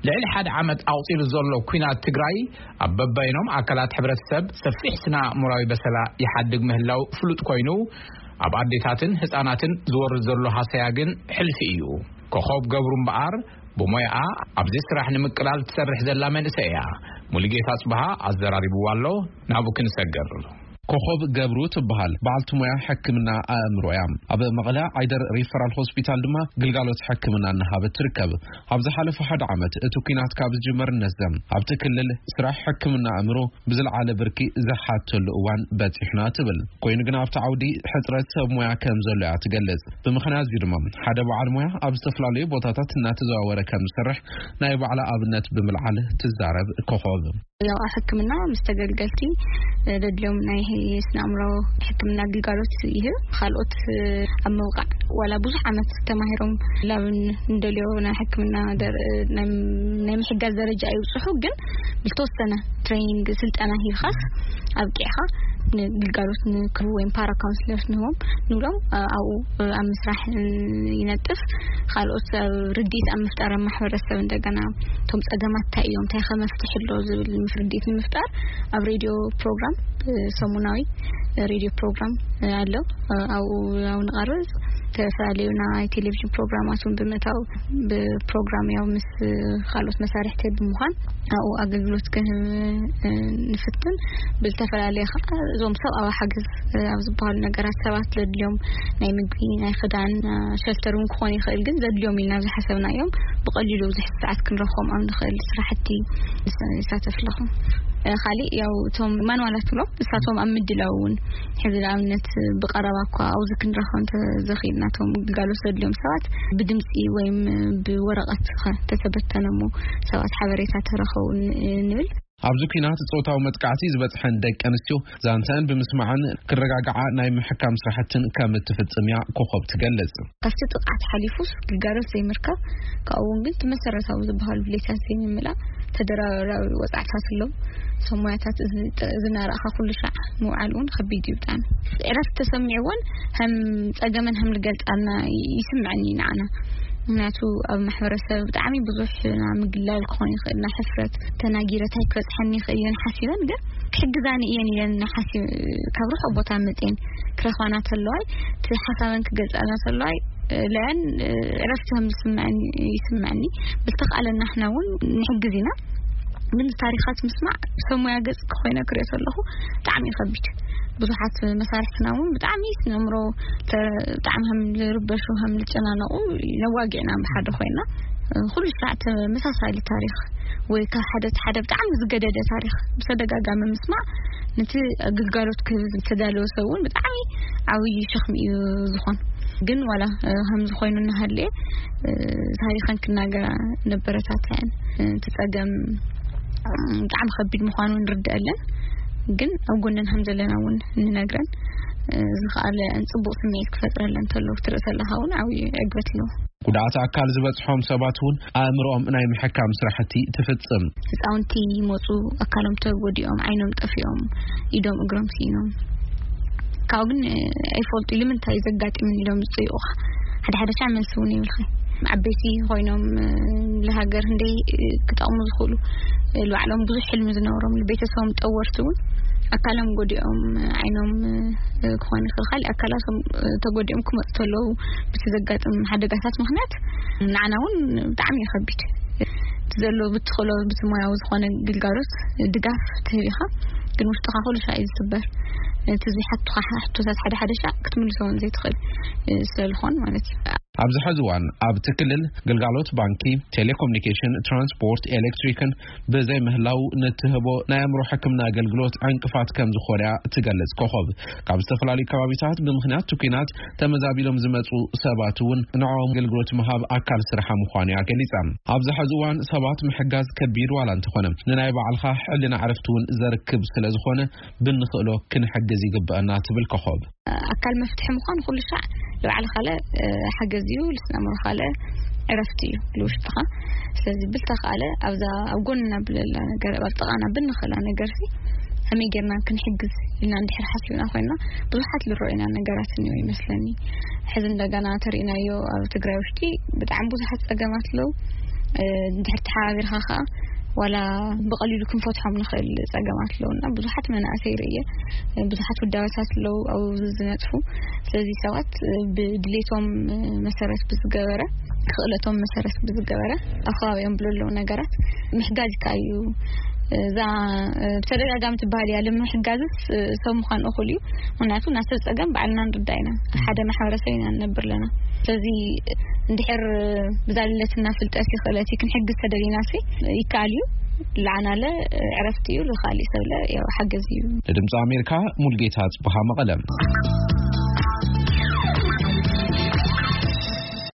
ልዕሊ ሓደ ዓመት ኣቑጺሩ ዘሎ ኲናት ትግራይ ኣብ በበይኖም ኣካላት ሕብረተሰብ ሰፊሕ ስነ ኣእምራዊ በሰላ ይሓድግ ምህላው ፍሉጥ ኮይኑ፣ ኣብ ኣዴታትን ህጻናትን ዝወርድ ዘሎ ሃሰያ ግን ሕልፊ እዩ። ኮኾብ ገብሩ እምበኣር ብሞያኣ ኣብዚ ስራሕ ንምቅላል ትሰርሕ ዘላ መንእሰይ እያ። ሙሉጌታ ጽብሃ ኣዘራሪብዋ ኣሎ፣ ናብኡ ክንሰግር። ኮኾብ ገብሩ ትበሃል። በዓልቲ ሞያ ሕክምና ኣእምሮ እያ። ኣብ መቐለ ዓይደር ሪፈራል ሆስፒታል ድማ ግልጋሎት ሕክምና እናሃበት ትርከብ። ኣብ ዝሓለፈ ሓደ ዓመት እቲ ኲናት ካብ ዝጅመር እነዘም ኣብቲ ክልል ስራሕ ሕክምና ኣእምሮ ብዝለዓለ ብርኪ ዝሓተሉ እዋን በጺሕና ትብል። ኮይኑ ግን ኣብቲ ዓውዲ ሕጽረት ሰብ ሞያ ከም ዘሎ እያ ትገልጽ። ብምኽንያት እዚ ድማ ሓደ በዓል ሞያ ኣብ ዝተፈላለዩ ቦታታት እናተዘዋወረ ከም ዝሰርሕ ናይ ባዕላ ኣብነት ብምልዓል ትዛረብ ኮኾብ። ያው ኣብ ሕክምና ምስ ተገልገልቲ፣ እ፣ ደድልዮም ናይ ስነ ኣእምሮ ሕክምና ግልጋሎት ይህብ። ካልኦት፣ እ፣ ኣብ ምብቃዕ ዋላ ብዙሕ ዓመት ተማሂሮም ላብ እንደልዮ ናይ ሕክምና ደር-፣ ናይ፣ ናይ ምሕጋዝ ደረጃ ይብጽሑ፣ ግን ዝተወሰነ ትሬኒንግ ስልጠና ሂብካስ ኣብቂዕካ ንግልጋሎት ንክህቡ ወይም ፓራ ካውንስለርስ ንህቦም ንብሎም፣ እ፣ ኣብኡ፣ እ፣ ኣብ ምስራሕ፣ እ፣ ይነጥፍ። ካልኦት ኣብ ርድኢት ኣብ ምፍጣር ኣብ ማሕበረሰብ እንደገና እቶም ጸገማት እንታይ እዮም፣ እንታይ ከ መፍትሒ ኣሎ ዝብል ምስ ርድኢት ንምፍጣር ኣብ ሬድዮ ፕሮግራም፣ እ፣ ሰሙናዊ ሬድዮ ፕሮግራም፣ እ፣ ኣሎ። እ፣ ኣብኡ ያው ንቐርብ ዝተፈላለዩ ናይ ቴሌቪዥን ፕሮግራማት እውን ብምእታው ብፕሮግራም ያው ምስ ካልኦት መሳርሕቲ ብምዃን ኣብኡ ኣገልግሎት ክህብ፣ እ፣ ንፍትን። ብዝተፈላለየ ከዓ እዞም ሰብኣዊ ሓገዝ፣ እ፣ ኣብ ዝበሃሉ ነገራት ሰባት ዘድልዮም ናይ ምግቢ፣ ናይ ክዳን፣ እ፣ ሸልተር እውን ክኾን ይኽእል፣ ግን ዘድልዮም ኢልና ዝሓሰብናዮም ብቐሊሉ ኣብዚ ሕዚ ሰዓት ክንረኽቦም ኣብ ንኽእል ስራሕቲ ይሳተፍ ኣለኹ። እ፣ ካሊእ ያው እቶም ማንዋላት ብሎም እሳቶም ኣብ ምድላው እውን ሕዚ ንኣብነት ብቐረባ እኳ ኣብዚ ክንረኽቦ እንተዘኺእልና እቶም ግልጋሎት ዘድልዮም ሰባት ብድምፂ ወይም ብወረቐት ኸ ተተበተነ እሞ ሰባት ሓበሬታ ተረኸቡ ን-፣ ንብል። ኣብዚ ኲናት ጾታዊ መጥቃዕቲ ዝበጽሐን ደቂ ኣንስትዮ ዛንተን ብምስማዕን ክረጋግዓ ናይ ምሕካም ስራሕትን ከም እትፍጽም እያ ኮኾብ ትገልጽ። ካብቲ ጥቕዓት ሓሊፉስ ግልጋሎት ዘይምርካብ፣ ካብኡ እውን ግን እቲ መሰረታዊ ዝበሃሉ ድሌታት ዘይምምላእ ተደራራቢ ወጻዕታት ኣለዉ። እዞም ሞያታት እዚ ጥ-፣ እዚ እናረኣኻ ኩሉ ሻዕ ምውዓል እውን ከቢድ እዩ ብጣዕሚ። ዕረፍቲ ተሰሚዕዎን ከም ጸገመን ከም ዝገልጻልና ይስምዐኒ ንዓና። ምኽንያቱ ኣብ ማሕበረሰብ ብጣዕሚ ብዙሕ ናይ ምግላል ክኾን ይኽእል፣ ናይ ሕፍረት፣ ተናጊረ እንታይ ክበጽሐኒ ይኽእል እየን ሓሲበን፣ ግን ክሕግዛኒ እየን ኢለን ሓሲብ-፣ ካብ ርሑቕ ቦታ መጽየን ክረኽባና ተለዋይ፣ እቲ ሓሳበን ክገልጻልና ተለዋይ፣ ለያን ዕረፍቲ ከም ዝስምዐኒ ይስምዐኒ። ብዝተኻእለና ንሕና እውን ንሕግዝ ኢና። ግን ታሪኻት ምስማዕ ብሰብ ሞያ ገጽ ኮይነ ክሪኦ ከለኹ ብጣዕሚ እዩ ከቢድ። ብዙሓት መሳርሕትና እውን ብጣዕሚ ስነ ኣእምሮ ተ-፣ ብጣዕሚ ከም ዝርበሹ፣ ከም ዝጨናነቑ ነዋጊዕና ብሓደ ኮይና፣ ኩሉ ስራዕ ተመሳሳሊ ታሪኽ ወይ ካብ ሓደ እቲ ሓደ ብጣዕሚ ዝገደደ ታሪኽ ብተደጋጋሚ ምስማዕ ነቲ ግልጋሎት ክህብ ዝተዳለወ ሰብ እውን ብጣዕሚ ዓብዪ ሸኽሚ እዩ ዝኾን። ግን ዋላ፣ እ፣ ከምዚ ኮይኑ እናሃለየ፣ እ፣ ታሪኸን ክናገራ ነበረታትዐን። እ፣ እቲ ጸገም፣ እ፣ ብጣዕሚ ከቢድ ምዃኑ ንርድአለን። ግን ኣብ ጎነን ከም ዘለና እውን ንነግረን። እ፣ ዝኸኣለ ጽቡቕ ስምዒት ክፈጥረለን እንተሎ ክትርኢ ከለኻ እውን ዓብዪ ዕግበት ኣለዎ። ጉድኣት ኣካል ዝበጽሖም ሰባት እውን ኣእምሮኦም ናይ ምሕካም ስራሕቲ ትፍጽም። ህፃውንቲ ይመፁ፣ ኣካሎም ተጎዲኦም፣ ዓይኖም ጠፊኦም፣ ኢዶም እግሮም ስኢኖም። ካብኡ ግን፣ እ፣ ኣይፈልጡ ኢሉ ምንታይ ዘጋጢምን ኢሎም ዝፅይቑኻ። ሓደ ሓደ ሻዕ መልሲ እውን ይብልኻ። ዓበይቲ ኮይኖም፣ እ፣ ንሃገር ክንደይ፣ እ፣ ክጠቕሙ ዝኽእሉ፣ እ፣ ንባዕሎም ብዙሕ ሕልሚ ዝነበሮም፣ ንቤተሰቦም ጠወርቲ እውን ኣካሎም ጎዲኦም፣ እ፣ ዓይኖም፣ እ፣ ክኾን ይኽእል፣ ካልእ ኣካላቶም፣ እ፣ ተጎዲኦም ክመፁ ተለዉ፣ ብቲ ዘጋጥም ሓደጋታት ምኽንያት ንዓና እውን ብጣዕሚ እዩ ከቢድ። እቲ ዘሎ ብትኽእሎ ብቲ ሞያዊ ዝኾነ ግልጋሎት ድጋፍ ትህብ ኢኻ፣ ግን ውሽጥኻ ኩሉ ሻዕ እዩ ዝስበር። እቲ ዝሓቱኻ ሕቶታት ሓደ ሓደ ሻዕ ክትምልሶ እውን ዘይትኽእል፣ እ፣ ስለ ዝኾን ማለት እዩ። ኣብዚ ሕዚ እዋን ኣብቲ ክልል ግልጋሎት ባንኪ፣ ቴሌኮሙኒኬሽን፣ ትራንስፖርት፣ ኤሌክትሪክን ብዘይ ምህላው ንትህቦ ናይ ኣእምሮ ሕክምና ኣገልግሎት ዕንቅፋት ከም ዝኾነ እያ ትገልጽ ኮኾብ። ካብ ዝተፈላለዩ ከባቢታት ብምኽንያት እቲ ኲናት ተመዛቢሎም ዝመጹ ሰባት እውን ንዕኦም ኣገልግሎት ምሃብ ኣካል ስርሓ ምዃኑ እያ ገሊጻ። ኣብዚ ሕዚ እዋን ሰባት ምሕጋዝ ከቢድ ዋላ እንተኾነ፣ ንናይ ባዕልኻ ሕልና ዕረፍቲ እውን ዘርክብ ስለ ዝኾነ፣ ብንኽእሎ ክንሕግዝ ይግበአና ትብል ኮኾብ። ኣካል መፍትሒ ምዃን ኩሉ ሻዕ ንባዕሊ ካልእ፣ እ፣ ሓገዝ እዩ፣ ልስነ ኣእምሮ ካልእ ዕረፍቲ እዩ ልውሽጥኻ። ስለዚ ብልተኻለ ኣብዛ ኣብ ጎንና ብለላ ነገር፣ ኣብ ጥቓና ብንኽእላ ነገር ሲ ከመይ ጌርና ክንሕግዝ ኢልና እንድሕር ሓሲብና ኮይና፣ ብዙሓት ልረኡና ነገራት እኒኦ ይመስለኒ። ሕዚ እንደገና ተሪእናዮ ኣብ ትግራይ ውሽጢ ብጣዕሚ ብዙሓት ጸገማት ኣለዉ። እንድሕር ተሓባቢርካ ከዓ ዋላ ብቐሊሉ ክንፈትሖም ንኽእል ጸገማት ኣለውና። ብዙሓት መናእሰይ ርእየ፣ ብዙሓት ውዳበታት ኣለዉ ኣብኡ ዝነጥፉ። ስለዚ ሰባት ብድሌቶም መሰረት ብዝገበረ፣ ክእለቶም መሰረት ብዝገበረ ኣብ ከባቢኦም ብለለዉ ነገራት ምሕጋዝ ይከኣል እዩ። እዛ ብተደጋጋሚ ትበሃል እያ፣ ንምሕጋዝስ ሰብ ምዃን እኹል እዩ። ምኽንያቱ ናሰብ ጸገም ባዕልና ንርዳእ ኢና፣ ሓደ ማሕበረሰብ ኢና ንነብር ኣለና። ስለዚ እንድሕር ብዛልለትና ፍልጠት ይኽእለት ክንሕግዝ ተደሊና ሲ ይከኣል እዩ። ለዓናለ ዕረፍቲ እዩ፣ ልኻሊ ሰብለ ያው ሓገዝ እዩ። ንድምፂ ኣሜሪካ ሙልጌታ ጽቡሃ መቐለም።